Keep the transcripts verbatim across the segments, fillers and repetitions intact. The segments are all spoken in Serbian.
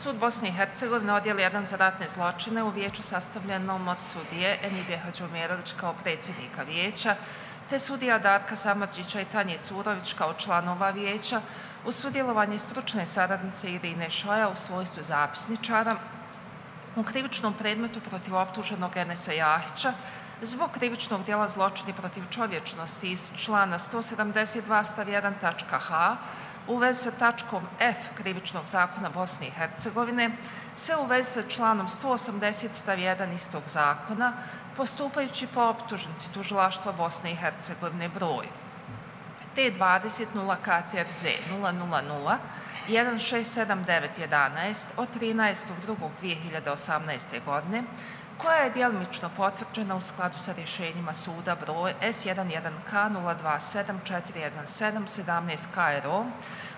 Sud Bosne i Hercegovine, odjel jedan za ratne zločine, u vijeću sastavljenom od sudije Enide Hadžomirović kao predsjednika vijeća, te sudija Darka Samardžića i Tanje Curović kao članova vijeća, uz sudjelovanje stručne saradnice Irine Šoja u svojstvu zapisničara, u krivičnom predmetu protiv optuženog Enesa Jahića zbog krivičnog djela zločini protiv čovječnosti iz člana sto sedamdeset dva stav jedan tačka ha u vezi sa tačkom F krivičnog zakona Bosne i Hercegovine, se u vezi sa članom sto osamdeset stav jedan istog zakona, postupajući po optužnici tužilaštva Bosne i Hercegovine broj T dvadeset nula K T R Z nula nula nula jedan šest sedam devet jedanaest od trinaestog drugog dve hiljade osamnaeste. godine, koja je djelimično potvrđena u skladu sa rješenjima suda broj S jedan jedan K nula dva sedam četiri jedan sedam sedamnaest K R O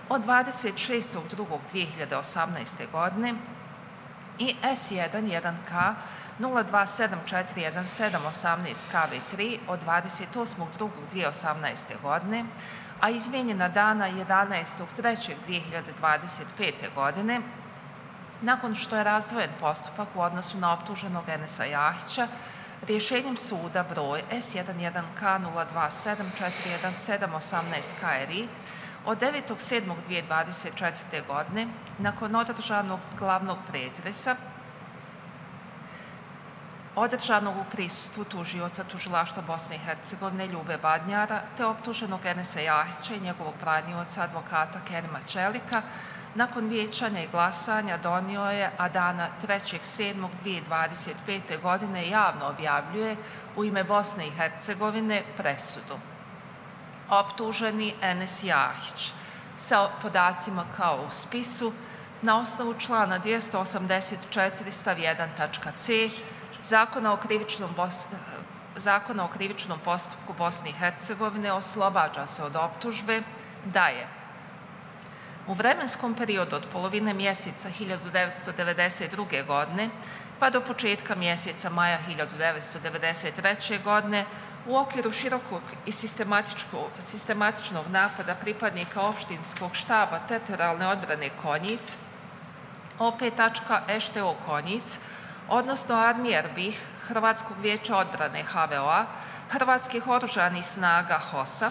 od dvadeset šestog drugog dve hiljade osamnaeste. godine i S jedan jedan K nula dva sedam četiri jedan sedam osamnaest K V tri od dvadeset osmog drugog dve hiljade osamnaeste. godine, a izmijenjena dana jedanaestog trećeg dve hiljade dvadeset pete. godine, nakon što je razdvojen postupak u odnosu na optuženog Enesa Jahića, rješenjem suda broj S jedan jedan K nula dva sedam četiri jedan sedam osamnaest K R I od devetog sedmog dve hiljade dvadeset četvrte. godine, nakon održanog glavnog pretresa, održanog u prisustvu tužioca tužilaštva Bosne i Hercegovine Ljube Badnjara, te optuženog Enesa Jahića i njegovog branioca advokata Kerima Čelika, nakon vijećanja i glasanja donio je, a dana trećeg sedmog dve hiljade dvadeset pete. godine javno objavljuje u ime Bosne i Hercegovine presudu. Optuženi Enes Jahić sa podacima kao u spisu na osnovu člana dvjesto osamdeset četiri stav jedan tačka C Zakona o krivičnom Bos... Zakona o krivičnom postupku Bosne i Hercegovine oslobađa se od optužbe da je u vremenskom periodu od polovine mjeseca hiljadu devetsto devedeset druge. godine pa do početka mjeseca maja hiljadu devetsto devedeset treće. godine u okviru širokog i sistematičnog napada pripadnika opštinskog štaba teritorijalne odbrane Konjic O P E Š T O Konjic, odnosno Armije Erbih, Hrvatskog vijeća odbrane H V O A, Hrvatskih oružanih snaga H O S A,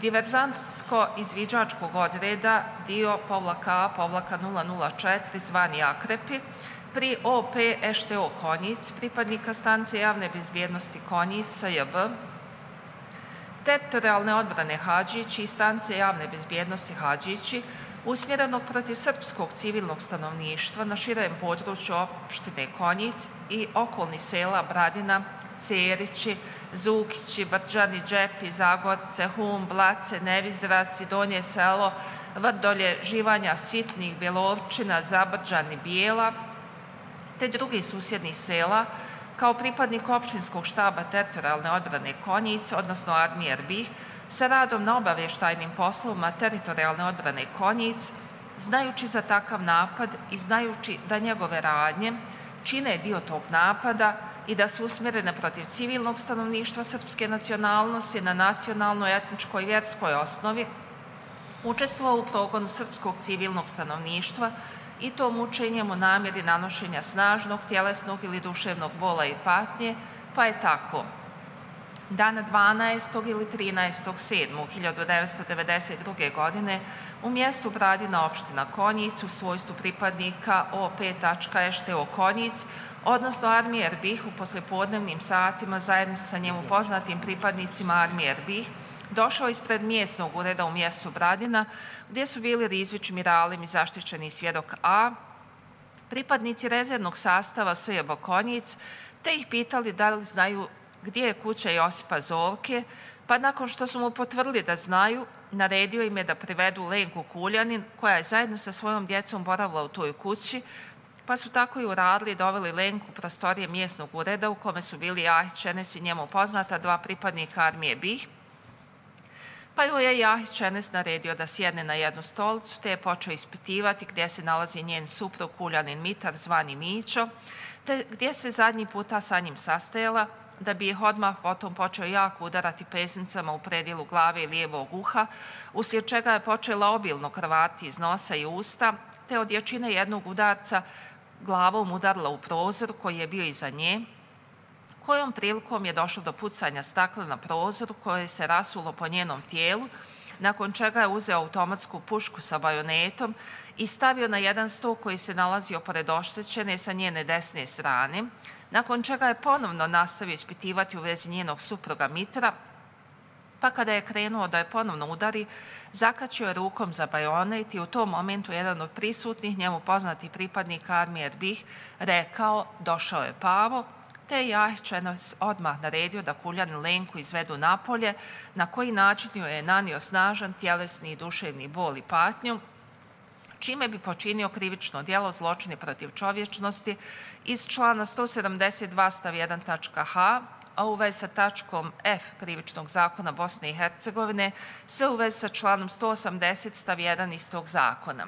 diverzantsko-izviđačkog odreda dio A nula nula četiri zvani Akrepi, pri O P E Š T O Konjic, pripadnika stanice javne bezbjednosti Konjic S J B, teritorijalne odbrane Hadžići i stanice javne bezbjednosti Hadžići, usmjerenog protiv srpskog civilnog stanovništva na širem području opštine Konjic i okolnih sela Bradina, Cerići, Zukići, Brđani, Džepi, Zagorce, Hum, Blace, Nevizdraci, Donje selo, Vrdolje, Živanja, Sitnih, Bjelovčina, Zabrđani, Bijela, te drugih susjednih sela, kao pripadnik opštinskog štaba teritorijalne odbrane Konjic, odnosno Armije Erbih, sa radom na obavještajnim poslovima teritorijalne odbrane Konjic, znajući za takav napad i znajući da njegove radnje čine dio tog napada i da su usmjerene protiv civilnog stanovništva srpske nacionalnosti na nacionalnoj, etničkoj i vjerskoj osnovi, učestvovao u progonu srpskog civilnog stanovništva i to mučenjem u namjeri nanošenja snažnog, tjelesnog ili duševnog bola i patnje, pa je tako dana dvanaestog ili trinaestog sedmog hiljadu devetsto devedeset druge. godine u mjestu Bradina opština Konjic u svojstvu pripadnika O P E Š T O Konjic, odnosno Armije Erbih, u poslijepodnevnim satima zajedno sa njemu poznatim pripadnicima Armije Erbih, došao ispred mjesnog ureda u mjestu Bradina, gdje su bili Rizvić, Miralim i zaštićeni svjedok A, pripadnici rezervnog sastava S J B Konjic, te ih pitali da li znaju gdje je kuća Josipa Zovke, pa nakon što su mu potvrdili da znaju, naredio im je da privedu Lenku Kuljanin, koja je zajedno sa svojom djecom boravila u toj kući, pa su tako i uradili i doveli Lenku u prostorije mjesnog ureda u kome su bili Jahić, Enes i njemu poznata dva pripadnika Armije BiH, pa joj je Jahić Enes naredio da sjedne na jednu stolicu, te je počeo ispitivati gdje se nalazi njen suprug Kuljanin Mitar, zvani Mićo, te gdje se zadnji puta sa njim sastajala, da bi ih odmah potom počeo jako udarati pesnicama u predjelu glave i lijevog uha, uslijed čega je počela obilno krvati iz nosa i usta, te od jačine jednog udarca glavom udarila u prozor koji je bio iza nje, kojom prilikom je došlo do pucanja stakla na prozoru koje se rasulo po njenom tijelu, nakon čega je uzeo automatsku pušku sa bajonetom i stavio na jedan sto koji se nalazio pored oštećene sa njene desne strane, nakon čega je ponovno nastavio ispitivati u vezi njenog supruga Mitra, pa kada je krenuo da je ponovno udari, zakačio je rukom za bajonet i u tom momentu jedan od prisutnih, njemu poznati pripadnik armije Erbih, rekao došao je Pavo, te je Jahčenos odmah naredio da Kuljanin Lenku izvedu napolje, na koji način joj je nanio snažan tjelesni i duševni bol i patnju, čime bi počinio krivično djelo zločini protiv čovječnosti iz člana sto sedamdeset dva stav jedan tačka ha, a u vezi sa tačkom F krivičnog zakona Bosne i Hercegovine, sve u vezi sa članom sto osamdeset stav jedan istog zakona.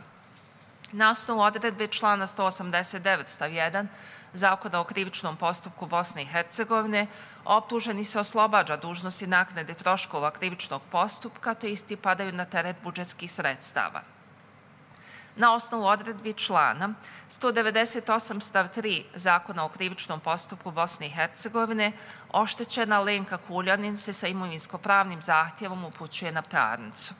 Na osnovu odredbe člana sto osamdeset devet stav jedan Zakona o krivičnom postupku Bosne i Hercegovine, optuženi se oslobađa dužnosti naknade troškova krivičnog postupka, te isti padaju na teret budžetskih sredstava. Na osnovu odredbi člana sto devedeset osam stav tri Zakona o krivičnom postupku Bosne i Hercegovine, oštećena Lenka Kuljanin se sa imovinsko-pravnim zahtjevom upućuje na parnicu.